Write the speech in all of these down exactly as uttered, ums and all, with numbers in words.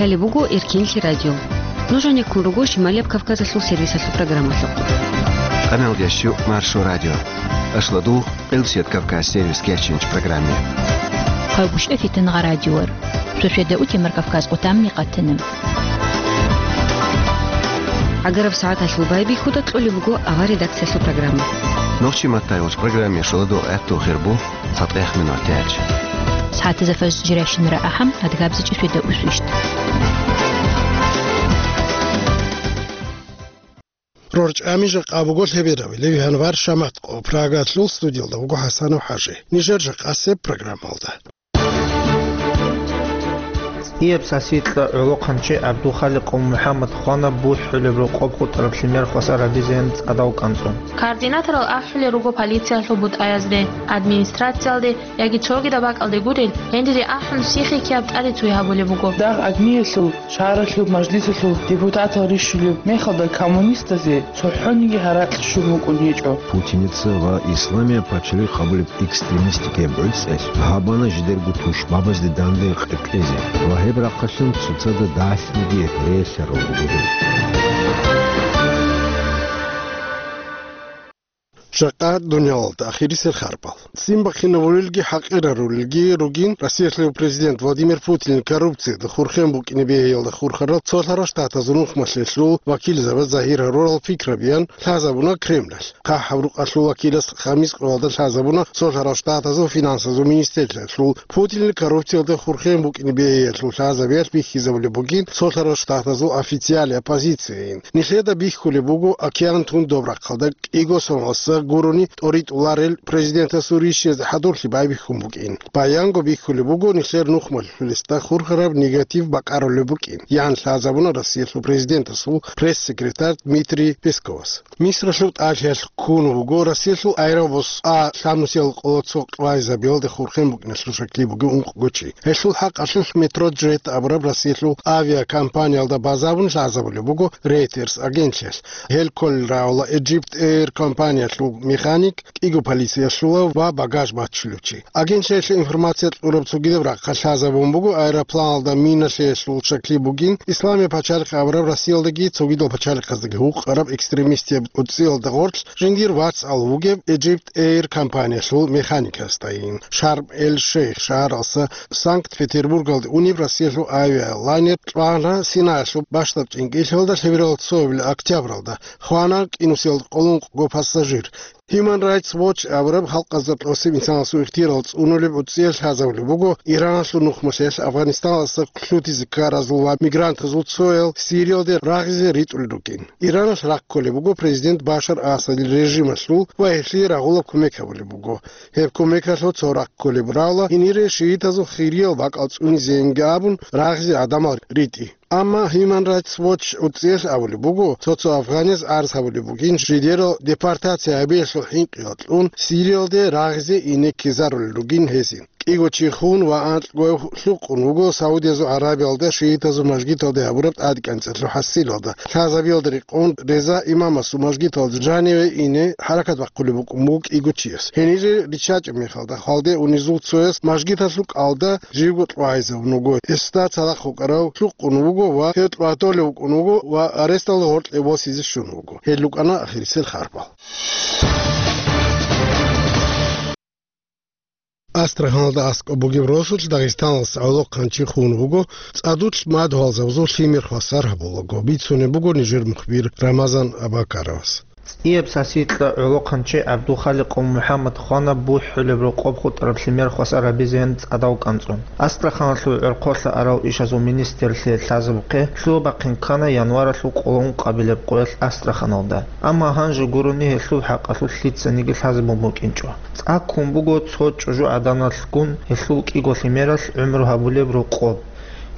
Лъалеб буго Эркинлъи радио. Нуж гьанеккун руго Шималияб Кавказалъул сервисалъул программалъухъ. Къаналда щу Маршо радио. Ашладу Къилсият Кавказ сервис кечинч программе. Хъавгушев Фитнагъа радиор. Сосиеда утемар Кавказ къутамни къатинаб. Агараб сагӀаталъул байбихьуда кьолеб буго авар редакциялъул программа. Нохчи маттай уч программе шуладу гӀатту хирбу. Цадехъ минутач. СагӀатазда фажр жирайщинара ахӀам, адгабзичӀи светда усвищт. РорчӀами жакъа буго лъеберабилеб январь шаматкъо. Прагалъул студиялда вуго ХӀасанов ХӀажи. Нижер жакъасеб программалда. Ияб сасикьа гӀолохъанчи ГӀабдулхаликъов МухӀаммад хвана бухӀулеб рокъоб хутӀараб лъимер хвасар гьабизеян цӀадав кӀанцӀун. Координаторал ахӀулел руго полициялъул бутӀаязде, администрациялде яги цогидаб бакӀалде гурел, гьениб ахӀун сихикияб тӀаде цуй гьабулеб буго. Дагъ агниялъул шагьаралъул мажлисалъул депутатал рищулеб мехалда коммунистазе цохӀониги гьаракь щун вукӀун гьечӀо. Путиница ва Исламияб пачалихъ абулеб экстремистикаяб гӀуцӀел гьабана жидерго тушбабазде данде къекълъизе ва гьеб рахъалъун цоцазда дагьлъиги релълъарал руго гьел. Жакъа дуниялалда ахирисел харбал. Ццин бахъинабулелги хӀакъирарулелги ругин Россиялъул президент Владимир Путинил коррупциялда хурхен букӀине бегьиялда хурхарал цолъарал штатазул нухмалъелъул вакилзабаз загьир гьарурал пикрабиян лъазабуна Кремлалъ. ХъахӀаб рукъалъул вакилас Хамис къоялда лъазабуна цолъарал штатазул финансазул министрлъиялъул Путинил коррупциялда хурхен букӀине бегьиялъул лъазабиялъ бихьизабулеб бугин цолъарал штатазул официалияб позицияйин. Нилъеда бихьулеб буго океан тун доб рахъалда кӀиго соналъа гурони тӀоритӀуларел президентасул рищиязда хӀадурлъи байбихьун букӀин. Баянго бихьулеб буго нилъер нухмалъулесда хурхараб негатив бакӀарулеб букӀин, ян лъазабуна Россиялъул президентасул пресс-секретарь Дмитрий Песковас. Мисралъул тӀалъиялъ ккун вуго Россиялъул аэробус А лъабнусиял къоло цо кьвайзабиялда хурхен букӀиналъул шакли бугев ункъго чи. Гьелъул хӀакъалъулъ Метроджет абураб Россиялъул авиакомпаниялда базабун лъазабулеб буго Reuters агентлъиялъ. Гьел кколел рагӀула Egypt Air компаниялъул механик, кӀиго полициялъула ва багаж баччулев чи. Агентлъиялъе информация кьураб цогидаб рахъалъ лъазабун буго аэропланалда миналъеялъул шакли бугин Исламияб пачалихъ абураб Россиялдаги цогидал пачалихъаздаги гьукъараб экстремистияб гӀуцӀиялда гъорлъ жиндир вацал вугев Egypt Air компаниялъул механикасдайин. Шарм-эль-Шейх шагьаралъа Санкт-Петербургалде унеб Россиялъул авиалайнер кьвана Синаялъул бащдаб чӀинкӀиллъиялда лъеберал цоабилеб октябралда, хвана кӀинусиялда къоло ункъго пассажир. Human Rights Watch абураб халкъазда тӀосеб инсанасул ихтияр цӀунулеб гӀуцӀиялъ лъазабулеб буго Ираналъул нухмалъиялъ Афганистаналдаса лъутизе ккаразул ва мигрантазул цоял Сириялде рагъизе ритӀулел рукӀин. Ираналъ рахъ кколеб буго президент Башар Асадил режималъул ва гьелъие рагъулаб кумек гьабулеб буго. Гьеб кумекалъул цо рахъ кколеб рагӀула гьенире шиитазул хириял бакӀал цӀунизейинги абун рагъизе гӀадамал ритӀи. Амма Human Rights Watch гӀуцӀиялъ абулеб буго, цо-цо афганияз гӀарз гьабулеб бугин, жидерал депортация гьабиялъул хӀинкъиялъ кьун Сириялде рагъизе ине ккезарулел ругин гьезин. КӀиго чи хун ва анкьго лъукъун вуго Саудиязул Арабиялда шиитазул мажгиталде гьабураб тӀадекӀанцӀалъул хӀасилалда. Лъазабиялда рекъон Реза имамасул мажгиталда жаниве ине хӀаракат бахъулеб букӀун буго кӀиго чияс. Гьенире риччачӀеб мехалда, хвалде унезул цояс мажгиталъул кӀалда живго кьвагьизабун вуго. Гьесда цадахъ вукӀарав лъукъун вуго ва гьев кьвагьтолев вукӀун вуго ва аресталда гъоркье восизе щун вуго. Гьел рукӀана ахирисел харбал. Астраханалда аскӀоб бугеб росулъ Дагъистаналъ гӀолохъанчи хун вуго, цӀадулъ мадугьалзабазул лъимер хвасар гьабулаго, бицунеб буго нижер мухбир Рамазан Абакаровас. ЦӀияб сасикьа гӀолохъанчи ГӀабдулхаликъов МухӀаммад хвана бухӀулеб рокъоб хутӀараб лъимер хвасар гьабизеян цӀадав кӀанцӀун. Астраханалъул гӀорхъолъа арал ишазул министрлъи лъазабухъе лъугьа-бахъин ккана январалъул къоло ункъабилеб къоялъ Астраханалда. Амма гьанже гурони гьелъул хӀакъалъулъ лъицаниги лъазабун букӀинчӀо. ЦӀа ккун буго цо чӀужугӀаданалъгун гьелъул кӀиго лъимералъ гӀумру гьабулеб рокъоб.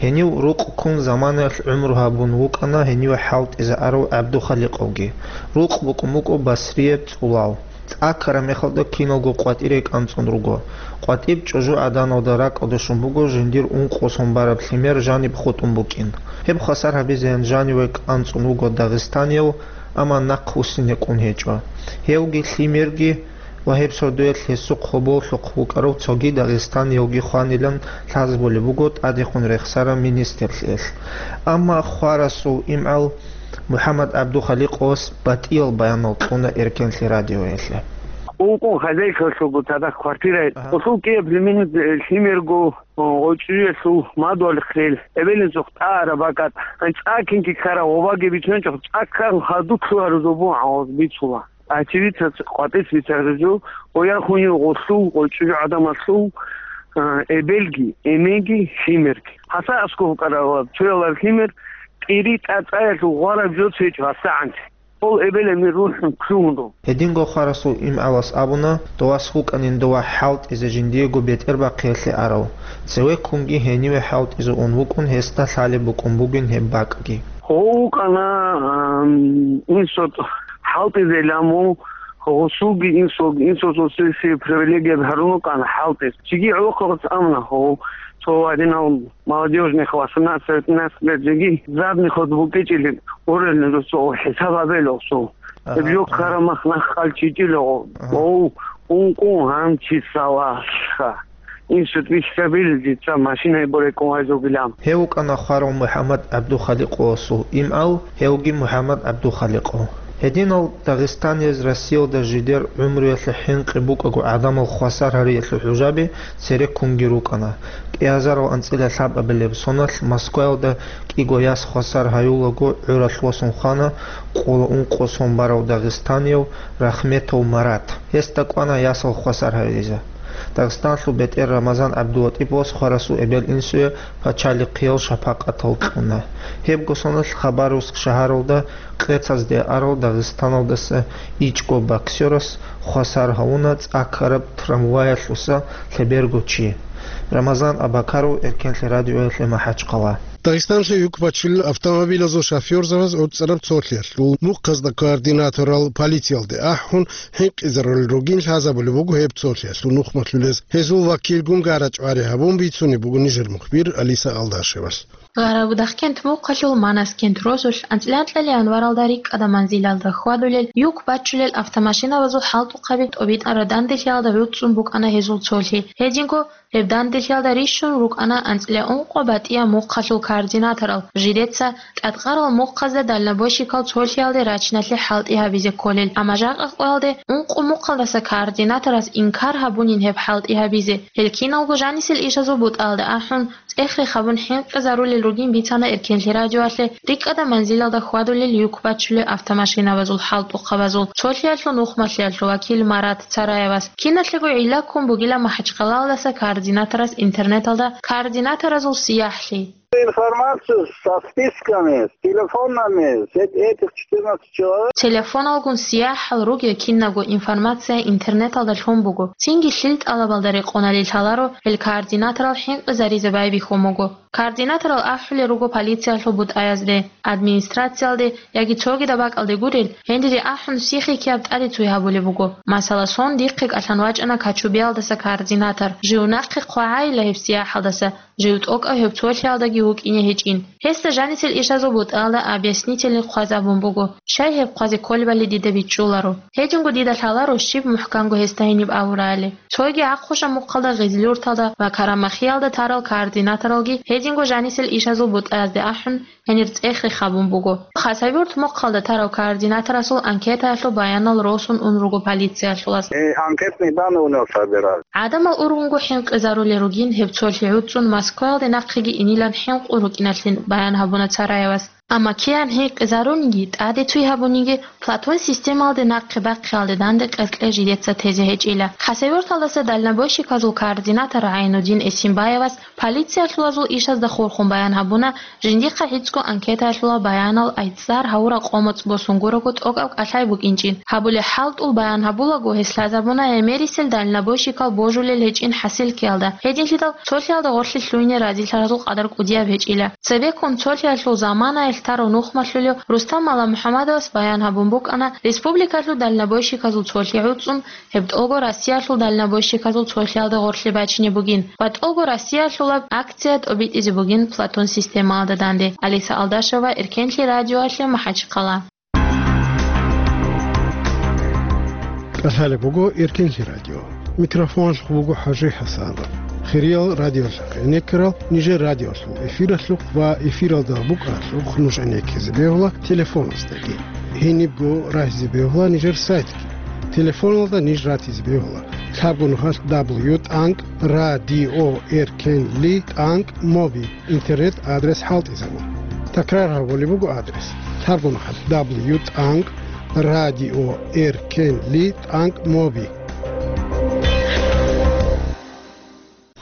Гьенив рукъ ккун заманаялъ гӀумру гьабун вукӀана гьениве хӀалтӀизарав ГӀабдухаликъовги. Рукъ букӀун буго Басрияб цӀулал. ЦӀа ккараб мехалда киналго къватӀире кӀанцӀун руго. КъватӀиб чӀужугӀаданалда ракӀалде щун буго жиндир ункъо сон бараб лъимер жаниб хутӀун букӀин. Гьеб хвасар гьабизеян жаниве кӀанцӀун вуго дагъистанияв, амма нахъ вуссине кӀун гьечӀо. Гьевги лъимерги ва гьеб сордоялъ гьесухъ гьоболлъухъ вукӀарав цоги дагъистаниявги хванилан лъазабулеб буго тӀадехун рехсарав министрлъиялъ. Амма хварасул имгӀал МухӀаммад ГӀабдухаликъовас батӀиял баянал кьуна Эркенлъи радиоялъе. Ункъо хозяйкалъулго цадахъ квартира. Агьа. Гъолъул кӀияб лимин, э, лъимерго, о, гъочӀиялъул мадугьалихъ рел, эбелинсухъ тӀагӀараб бакӀат, гьанчӀ цӀакинги ккараб гъобаги бицунчӀухъ, цӀаккал хадур лъугьарузул бугӀа гъоз бицула. Очевидцаца къватӀис бицараб жо, гъояхунев гъолъул, гъочӀо гӀадамалъул, а, эбелги, эменги, лъимерги. Гьасда аскӀов вукӀарав цоялар лъимер, кӀири тӀацӀаялъул гъвараб жо цечӀо гьасагӀанте. Гьол эбел-эмен рухӀун ккун руго. Гьединго хварасул имгӀалас абуна, дов вас вукӀанин дова хӀалтӀизе жиндиего бетӀербахъиялъе арав. Цевеккунги гьениве хӀалтӀизе ун вукӀун, гьесда лъалеб букӀун бугин гьеб бакӀги. Гъов вукӀана, ам, инсо хӀалтӀизе ламу, гъосулги инсулги, инсулъ сесси привилегия гьарун вукӀана хӀалтӀиз. Чиги гӀолохъабаз амна гъов, цо гьадинал молодёжных восемнадцать-пятнадцать лет жеги, задний ход букӀичӀилин, орелин росо хӀисаб гьабел осо. Агьа, Гьеб жо агьа. Карамах нах хъалчичӀила гъов. Агьа. Гъов, ункъо гьанчи салаха. Инсут вихьабил, дица машинай борекъон гьайзугилан. Гьев вукӀана хварав МухӀаммад ГӀабдухаликъовасул имгӀал, гьевги МухӀаммад ГӀабдухаликъов. Гьединал дагъистанияз Россиялда жидер гӀумруялъе хӀинкъи букӀаго гӀадамал хвасар гьариялъул хӀужаби цереккунги рукӀана. КӀиазарал анцӀила лъабабилеб соналъ Москваялда кӀиго яс хвасар гьаюлаго гӀуралъ восун хвана къола ункъо сон барав дагъистанияв Рахметов Марат. Гьесда кӀвана ясал хвасар гьавизе. Дагъистанлъул бетӀер Рамазан ГӀабдулатӀиповас хварасул эбел-инсуе пачалихъиял шапакъатал кьуна. Гьебго соналъ Хабаровск шагьаралда къецазде арал Дагъистаналдаса ичӀго боксерас хвасар гьавуна цӀа ккараб трамваялъуса лъеберго чи. Рамазан Абакаров, Эркенлъи радиоялъе, МахӀачхъала. Дагъистанлъи юк бачулел автомобилазул шофёрзабаз гӀуцӀараб цолъиялъул мухъазда координаторал полициялде ахӀун, хӀинкъизарулел ругин лъазабулеб буго гьеб цолъиялъул нухмалъулез. Гьезул вакилгун гарачӀвари гьабун бицунеб буго нижер мухбир Алиса Алдашевалъ. Гъарабудахъкент мухъалъул Манаскент росулъ анцӀила анкьалъ январалда рикӀкӀада манзилалда хьвадулел юк бачулел автомашинабазул хӀалтӀухъаби тӀобитӀараб данделъиялда гӀуцӀцӀун букӀана гьезул цолъи. Гьединго гьеб данделъиялда рищун рукӀана анцӀила ункъо батӀияб мухъалъул координаторал, жидеца тӀадкъарал мухъазда дальнобойщикал цолъиялде рачиналъе хӀалтӀи гьабизе кколел, амма жакъа къоялде ункъо мухъалдаса координаторас инкар гьабунин гьеб хӀалтӀи гьабизе. Гьел киналго жанисел ишазул бутӀалда ахӀун, цӀех-рех гьабун хӀинкъизарулел ругин бицана Эркенлъи радиоялъе рикӀкӀада манзилалда хьвадулел юк бачулел автомашинабазул хӀалтӀухъабазул цолъиялъул нухмалъиялъул вакил Марат Цараевас. Киналъего гӀилла ккун бугила МахӀачхъалаялдаса координаторас интернеталда координаторазул сияхӀлъи. Информацию со списками, с телефонами, с эт-, этих четырнадцати человек. Телефоналгун сияхӀал ругел кинабго информация интернеталда лъун буго. Цинги лъил тӀалабалда рекъоналде лъаларо гьел координаторал хӀинкъизаризе байбихьун буго. Координаторал ахӀулел руго полициялъул бутӀаязде, администрациялде яги цогидаб бакӀалде гурел, гьенире ахӀун сихӀ-ккияб тӀаде цуй гьабулеб буго. Масала, сон дихъе кӀалъан вачӀана Качубиялдаса координатор, жив нахъе хъвагӀайила гьеб сияхӀалдаса, жив тӀокӀав гьеб цолъиялдаги вукӀине гьечӀин. Гьесда жанисел ишазул бутӀалда объяснительный хъваз абун буго, щай гьеб хъвазе кколебали дида бичӀчӀуларо. Гьединго дида лъаларо щиб мухӀканго гьесда гьениб абурали. Цойги ахъуша мухъалда Гъизлюрталда ва Карамахиялда тарал координаторалги гьединго жанисел ишазул бутӀаязде ахӀун, гьенир цӀех-рех гьабун буго. Хасавюрт мухъалда тарав координаторасул анкетаялъул баянал росун ун руго полициялъулас. Э, анкетные данные у него собирали. ГӀадамал ургъунго хӀинкъизарулел ругин гьеб цолъи гӀуцӀцӀун Москваялде нахъеги инилан хӀинкъун рукӀиналъин баян гьабуна Цараевас. Амма киян хӀинкъизарунги, тӀаде цуй гьабунги, Платон системалде нахъе бахъиялде данде къеркье жидеца тезе гьечӀила. Хасавюрталдаса дальнобойщиказул координатор ГӀайнудин Эсимбаевас полициялъулазул ишазда хурхун баян гьабуна, жиндихъа гӀицӀго анкетаялъула баянал айцӀцӀар гьавураб къо-моцӀ босун гурого тӀокӀаб кӀалъай букӀинчӀин. Гьабулеб хӀалтӀул баян гьабулаго, гьес лъазабуна гӀемерисел дальнобойщикал божулел гьечӀин хӀасил ккеялда, гьединлъидал цолъиялда гъорлъе лъугьине разилъаразул къадар кӀудияб гьечӀила. Цебеккун цолъиялъул заманаялъ тарав нухмалъулев Рустам Маламухьаммадовас баян гьабун букӀана республикалъул дальнобойщиказул цолъи гӀуцӀцӀун, гьеб тӀолго Россиялъул дальнобойщиказул цолъиялда гъорлъе бачине бугин ва тӀолго Россиялъулаб акция тӀобитӀизе бугин Платон системалда данде. Алиса Алдашева, Эркенлъи радиоялъе, МахӀачхъала. Балъалеб буго Эркенлъи радио. Микрофоналъухъ буго ХӀажи ХӀасанов. Хириял радиолъухъ гӀенеккарал нижер радиолъул эфиралъухъ ва эфиралда букӀаралъухъ нуж гӀенеккизе бегьула телефоназдаги. Гьенибго рагьизе бегьула нижер сайтги. Телефоналда ниж ратизе бегьула лъабго нухалъ дабл ю тӀанкӀ радио эркенли тӀанкӀ моби интернет адрес хӀалтӀизабун. Такрар гьабулеб буго адрес: лъабго нухалъ дабл ю тӀанкӀ радио эркенли тӀанкӀ моби.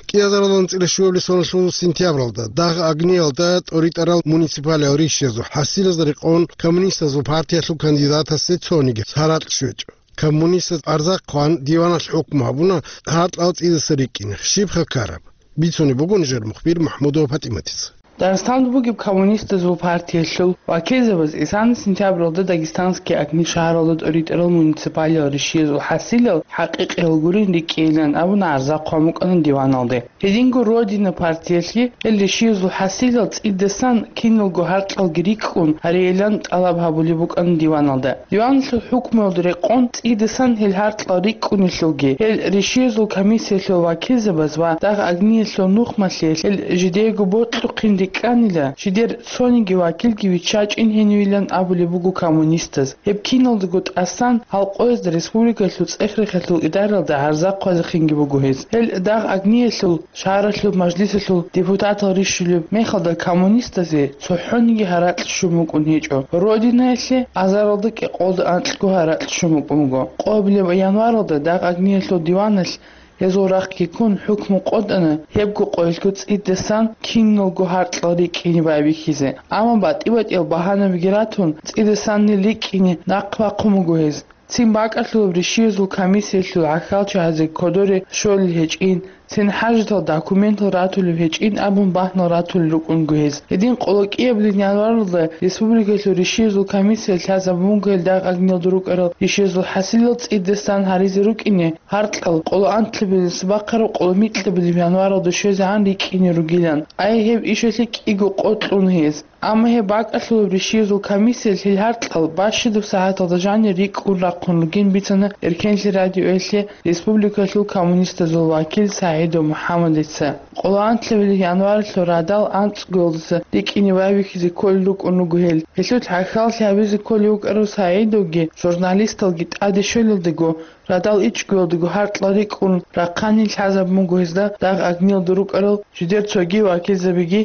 КӀиазаралда анцӀила щуабилеб соналъул сентябралда дагъ-агниялда тӀоритӀарал муниципалиал ришшезул хӀасилазда рекъон коммунистазул партиялъул кандидатасе цониги гьаракь щвечӀо. Коммунистаз арзахъ хъван диваналъ хӀукму гьабуна гьаркьал цӀидаса рикӀкӀине. Щибха ккараб? Бицунеб буго нижер мухбир МахӀмудова ПатӀиматица. Дагъистаналда бугеб коммунистазул партиялъул вакилзабаз исана сентябралда Дагестанские огни шагьаралда тӀоритӀарал муниципалиал ришшезул хӀасилал хӀакъикъиял гурин рикӀкӀейилан абуна гӀарзахъ хъван букӀана диваналде. Гьединго «Родина» партиялъе гьел ришшезул хӀасилал цӀидасан киналго гьаркьалги рикӀкӀун гьарейилан тӀалаб гьабулеб букӀана диваналда. Диваналъул хӀукмуялда рекъон цӀидасан гьел гьаркьал рикӀкӀунелъулги, гьел ришшезул комиссиялъул вакилзабаз ва дагъ-агниялъул нухмалъе гьел жидеего бокьухъин рикӀкӀанила, жидер цониги вакилги виччачӀин гьенивилан абулеб буго коммунистаз. Гьеб киналдаго тӀасан гьал къоязда республикалъул цӀех-рехалъул идаралда гӀарзахъ хъвазехинги буго гьез. Гьел дагъ-агниялъул шагьаралъул мажлисалъул депутатал рищулеб мехалда коммунистазе цохӀониги гьаракь щун букӀун гьечӀо. «Родинаялъе» азаралда кӀикъоялда анкьго гьаракь щун букӀун буго. Къоабилеб январалда дагъ-агниялъул диваналъ гьезул рахъги ккун хӀукму къотӀана, гьебго къоялъго цӀидасан киналго гьаркьал рикӀкӀине байбихьизе. Амма батӀи-батӀиял багьанабиги ратун, цӀидасан нил рикӀкӀине нахъ бахъун буго гьез. Цин бакӀалъулеб ришшезул комиссиялъул гӀахьалчагӀазе кодоре щолел гьечӀин, цин хӀажатал документал ратулеб гьечӀин абун бахӀнал ратулел рукӀунго гьез. Гьедин къоло кӀиабилеб январалда республикалъул ришшезул комиссия лъазабун буго гьел дагъ-агниялда рукӀарал ришшезул хӀасилал цӀидасан гьаризе рукӀине гьаркьал къоло анлъабилеб бахъараб къоло микьабилеб январалда щвезегӀан рикӀкӀине ругилан. Ай, гьеб ишалъе кӀиго къо кьун гьез. Амма гьеб бакӀалъулеб ришшезул комиссиялъ гьел гьаркьал бащадаб сагӀаталда жанир рикӀкӀун рахъун ругин бицана Эркенлъи радиоялъе республикалъул коммунистазул вакил СагӀидов МухӀаммадица. Къоло анлъабилеб январалъул радал анцӀгоялдаса рикӀкӀине байбихьизе кколел рукӀун руго гьел. Гьелъул гӀахьаллъи гьабизе кколев вукӀарав СагӀидовги журналисталги тӀаде щолелдаго, радал ичӀгоялдаго гьаркьал рикӀкӀун рахъани лъазабун буго гьезда дагъ-агниялда рукӀарал жидер цоги вакилзабиги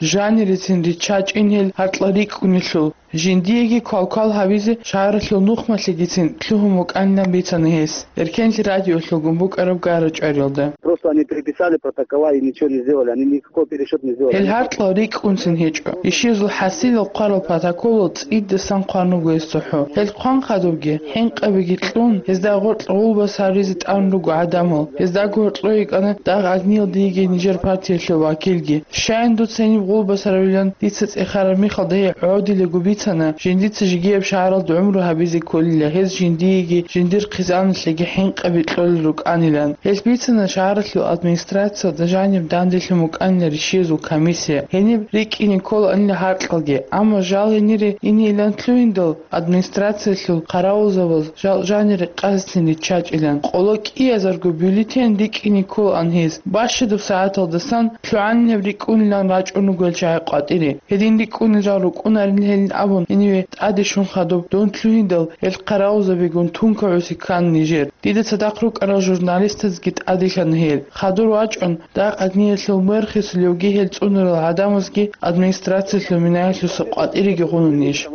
жанирецин риччачӀин гьел гьаркьал рикӀкӀунелъул, жиндиеги квалквал гьабизе шагьаралъул нухмалъегицин лъугьун букӀанилан бицана гьес Эркенлъи радиолъулгун букӀараб гара-чӀвариялда. Просто они переписали протокола и ничего не сделали, они никакой пересчёт не сделали. Гьел гьаркьал рикӀкӀунцин гьечӀо. Ишезул хӀасилал хъварал протоколал цӀидасан хъван руго гьес цохӀо. Гьел хъван хадубги, хӀинкъабиги кьун, гьезда гъоркь гъулбас гьаризе тӀан руго гӀадамал. Гьездаго гьоркьо йикӀана дагъ-агниялда йигей нижер партиялъул вакилги. Щайин дуца гьениб гъулбас гьаравилан дица цӀехараб мехалда гьей гӀодилаго бицана, жиндица жигияб шагьаралда гӀумру гьабизе кколила, гьез жиндиеги жиндир хъизаналъеги хӀинкъаби кьолел рукӀанилан. Гьелъ бицана шагьаралъул администрациялда жаниб данделъун букӀанила ришиязул комиссия, гьениб рикӀкӀине кколаанила гьаркьалги, амма жал гьенире инейилан лъугьиндал, администрациялъул хъаравулзабаз жал жанире къасдин риччачӀилан. Къоло кӀиязарго бюллетень рикӀкӀине кколаан гьез. Бащадаб сагӀаталдасан лъугӀанинаб рикӀкӀунилан рачӀун руго гьел чагӀи къватӀире. Гьедин рикӀкӀунел жал рукӀунарин гьелин абун, гьениве тӀаде щун хадуб дун лъугьиндал, гьел хъаравулзабигун тункагӀуси ккан нижер. Дида цадахъ рукӀарал журналистазги тӀаделъана гьел. Хадур вачӀун, дагъ-агниялъул мэр хисулевги гьел цӀунарал гӀадамазги администрациялъул минаялъуса къватӀиреги гъунанищ?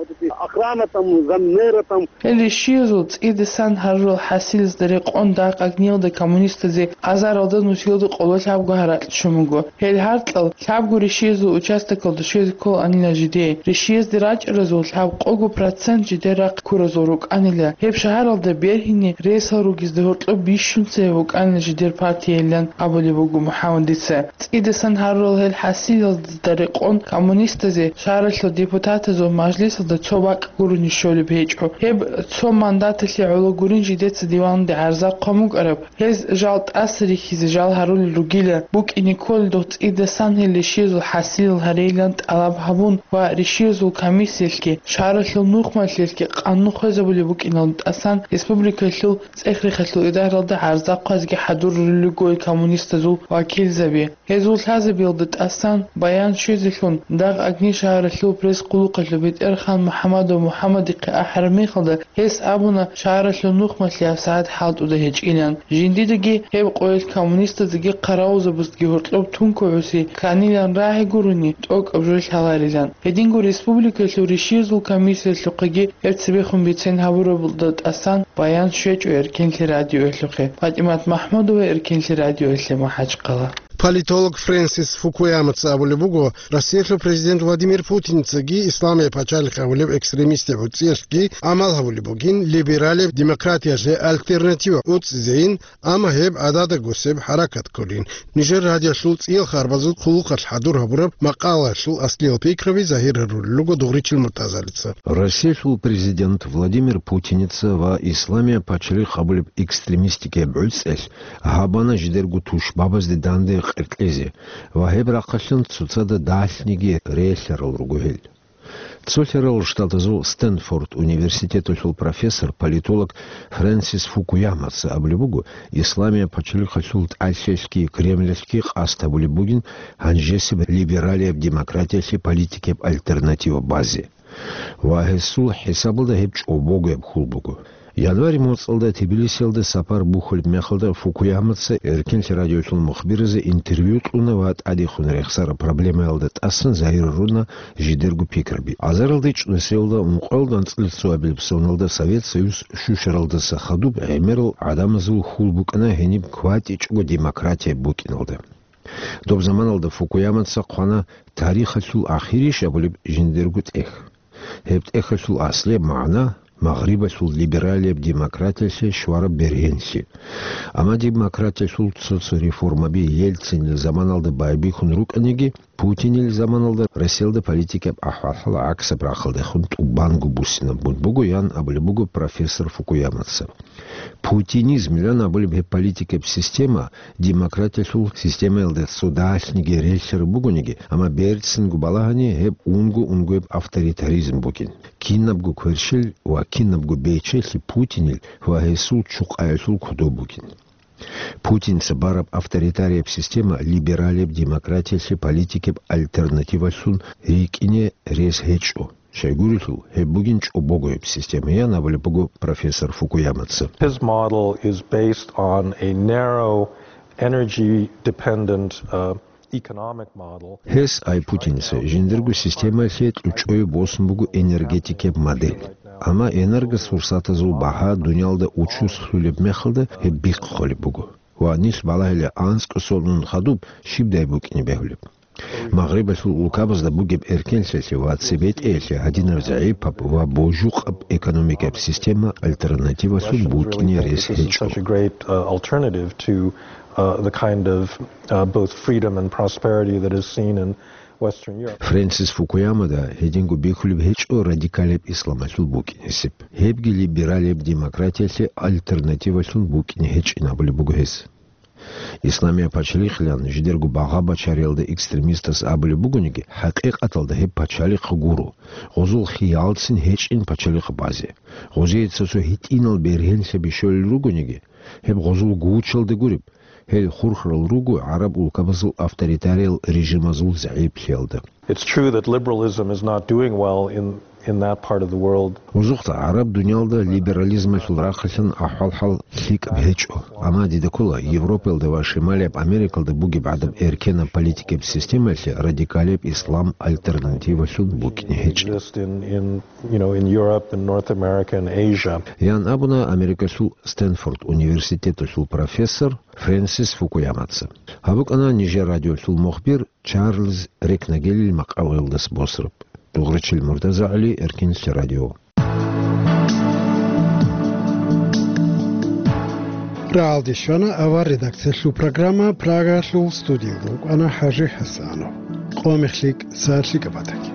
Охрана там, заммэра там. Гьел ришиязул цӀидасан гьарурал хӀасилазда рекъон дагъ-агниялда коммунистазе азаралда нусиялда къоло лъабго гьаракь щун буго. Гьел гьаркьал лъабго ришиязул участокалда щвезе кколаанила жидее. Ришиязде рачӀаразул лъабкъого процент жидер рахъ ккуразул рукӀанила. Гьеб шагьаралда бергьине ресал ругезда гьоркьоб бищун цебе букӀанила жидер партиялилан абулеб буго МухӀаммадица. ЦӀидасан гьарурал гьел хӀасилазда рекъон коммунистазе шагьаралъул депутатазул мажлисалда цо бакӀ гурони щолеб гьечӀо. Гьеб цо мандаталъе гӀоло гурин жидеца диванде гӀарзахъун букӀараб. Гьез жал тӀаса рихьизе жал гьарулел ругила, букӀине кколел дох цӀидасан гьел ришиязул хӀасилал гьарейилан тӀалаб гьабун ва ришиязул комиссиялъги, шагьаралъул нухмалъиялъги къанун хвезабулеб букӀиналда тӀасан республикалъул цӀех-рехалъул идаралда гӀарзахъазги хӀадурулел руго коммунистазул вакилзаби. Гьезул лъазабиялда тӀасан баян щвезелъун, дагъ Огни шагьаралъул пресс-хъулухъалъул бетӀерхан МухӀаммадов МухӀаммадихъе ахӀараб мехалда, гьес абуна, шагьаралъул нухмалъи гьабсагӀат хӀалтӀуда гьечӀилан. Жиндидаги гьеб къоялъ коммунистаздаги хъаравулзабаздаги гьоркьоб тункугӀуси кканилан рагӀи гурони, тӀокӀаб жо лъаларилан. Гьединго республикалъул ришиязул комиссиялъухъеги гьеб цебехун бицен гьабурабалда тӀасан баян щвечӀо Эркенлъи радиоялъухъе. ПатӀимат МахӀмудова, Эркенлъи радиоялъе, МахӀачхъала. Политолог Фрэнсис Фукуямаца абулеб буго, Россиялъул президент Владимир Путинцаги исламияб пачалихъ абулеб экстремистияб гӀуцӀиялъги гӀамал гьабулеб бугин, либералияб демократиялъе альтернатива гӀуцӀизейин, амма гьеб гӀадада гусеб хӀаракат кколин. Нижер радиоялъул цӀиял харбазул хъулухъалъ хӀадур гьабураб макъалаялъул аслиял пикраби загьир гьарулел руго Дугъричил Муртазалица. Россиялъул президент Владимир Путинца ва исламияб пачалихъ абулеб экстремистикияб гӀуцӀиялъ гьабана жидерго тушбабазде данде къеркьезе ва гьеб рахъалъан цоцазда далъниги релълъарал руго гьел. Цолъарал Штатазул Стэнфорд университеталъул профессор, политолог Фрэнсис Фукуямаца абулеб буго, исламияб пачалихъалъул тӀалъиялъги Кремлалъги къасд гьабулеб бугин гьанжесеб либералияб демократиялъе политикияб альтернатива базе. Ва гьесул хӀисабалда гьеб чӀобогояб хьул буго. Январь моцӀалда Тбилисиялда сапар бухьулеб мехалда Фукуямаца Эркенлъи радиоялъул мухбиразе интервью кьуна ва тӀадехун рехсараб проблемаялда тӀасан загьир гьаруна жидерго пикраби. Азаралда ичӀнусиялда, ункъоялда анцӀила цоабилеб соналда Совет Союз щущаралдаса хадуб гӀемерал гӀадамазул хьул букӀана гьениб кватӀичӀого демократия букӀиналда. Доб заманалда Фукуямаца хъвана тарихалъул ахирищ абулеб жиндирго тӀех. Гьеб тӀехалъул аслияб магӀна — Магърибалъул либералияб демократиялъе щвараб бергьенлъи. Амма демократиялъул цо-цо реформаби Ельцинил заманалда байбихьун рукӀаниги, Путинил заманалда Россиялда политикаб ахӀвал-хӀал гӀаксаб рахъалдехун тӀубанго буссинабун буго, ян абулеб буго профессор Фукуямаца. Путинизмилан абулеб гьеб политикаб система демократиялъул системаялда цо далъниги релълъараб бугониги, амма берцинго балагьани гьеб унго-унгояб авторитаризм бугин. Кинабго кверщел ва кинабго бечелъи Путинил ва гьесул чукъаялъул кодоб бугин. Путинца бараб авторитарияб система либералияб демократиялъе политикаб альтернативалъун рикӀкӀине рес гьечӀо. Щайгурелъул, гьеб бугин чӀобогояб система, ян абулеб буго профессор Фукуямаца. His model is based on a narrow, energy-dependent, uh, economic model. Гьес, ай Путинца, жиндирго системаялъе кьучӀое босун буго энергетикияб модель. Амма энергосурсатазул багьа дуниялда учуслъулеб мехалда гьеб бихъ холеб буго. Ва нилъ балагьила анцӀго сонун хадуб щибдай букӀине бегьулеб. Магърибалъул улкабазда бугеб эркенлъиялъе ва цебетӀеялъе гьадинаб загӀипаб ва божукъаб экономикаб система альтернативалъун букӀине рес гьечӀо. Such a great, uh, alternative to, uh, the kind of, uh, both freedom and prosperity that is seen in Western Europe. Фрэнсис Фукуямада гьединго бихьулеб гьечӀо радикалияб исламалъул букӀинесеб. Гьебги либералияб демократиялъе альтернативалъун букӀине гьечӀин абулеб буго гьес. Исламияб пачалихълъан жидерго багъа-бачариялда экстремистас абулеб бугониги, хӀакъикъаталда гьеб пачалихъ гуро, гъозул хиялцин гьечӀин пачалихъ базе. Гъозие цо-цо гьитӀинал бергьенлъаби щолел ругониги, гьеб гъозул гучалда гуреб, гьел хурхарал руго гӀараб улкабазул авторитариял режимазул загӀиплъиялда. It's true that liberalism is not doing well in, in that part of the world. Гъозухъа гӀараб дуниялда либерализмалъул рахъалъан ахӀвал-хӀал лъикӀаб гьечӀо. Амма дида ккола, Европаялда ва Шималияб Америкалда бугеб гӀадаб эркенаб политикаб системаялъе радикалияб ислам альтернативалъун букӀине гьечӀин. Exist in, in, you know, in Europe and North America and Asia. Ян абуна Америкалъул Стэнфорд университеталъул профессор Фрэнсис Фукуямаца. Гьаб букӀана нижер радиолъул мухбир Чарльз Рекнагелил макъалаялдаса босараб. Дугъричил Муртазагьли, Эркенлъи радио. Рагьалде щвана авар редакциялъул программа, Прагалъул студиялда вукӀана ХӀажи ХӀасанов. Къо мех лъикӀ, сагӀат лъикӀаб батаги.